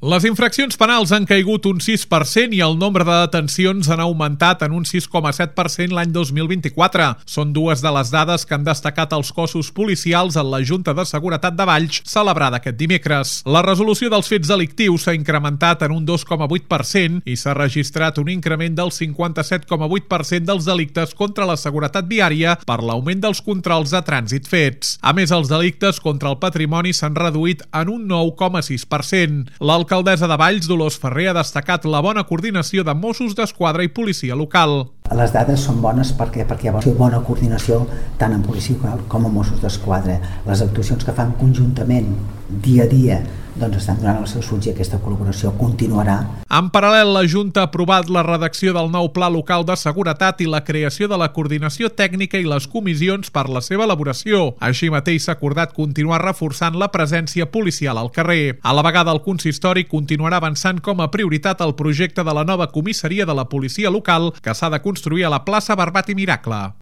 Les infraccions penals han caigut un 6% i el nombre de detencions han augmentat en un 6,7% l'any 2024. Són dues de les dades que han destacat els cossos policials en la Junta de Seguretat de Valls, celebrada aquest dimecres. La resolució dels fets delictius s'ha incrementat en un 2,8% i s'ha registrat un increment del 57,8% dels delictes contra la seguretat viària per l'augment dels controls de trànsit fets. A més, els delictes contra el patrimoni s'han reduït en un 9,6%. L'alcaldessa de Valls, Dolors Ferrer, ha destacat la bona coordinació de Mossos d'Esquadra i policia local. Les dades són bones perquè hi ha bona coordinació tant en policia local com en Mossos d'Esquadra. Les actuacions que fan conjuntament dia a dia estan donant els seus fruits i aquesta col·laboració continuarà. En paral·lel, la Junta ha aprovat la redacció del nou Pla Local de Seguretat i la creació de la coordinació tècnica i les comissions per la seva elaboració. Així mateix s'ha acordat continuar reforçant la presència policial al carrer. A la vegada, el consistori continuarà avançant com a prioritat el projecte de la nova comissaria de la policia local que s'ha de construir a la plaça Barbat i Miracle.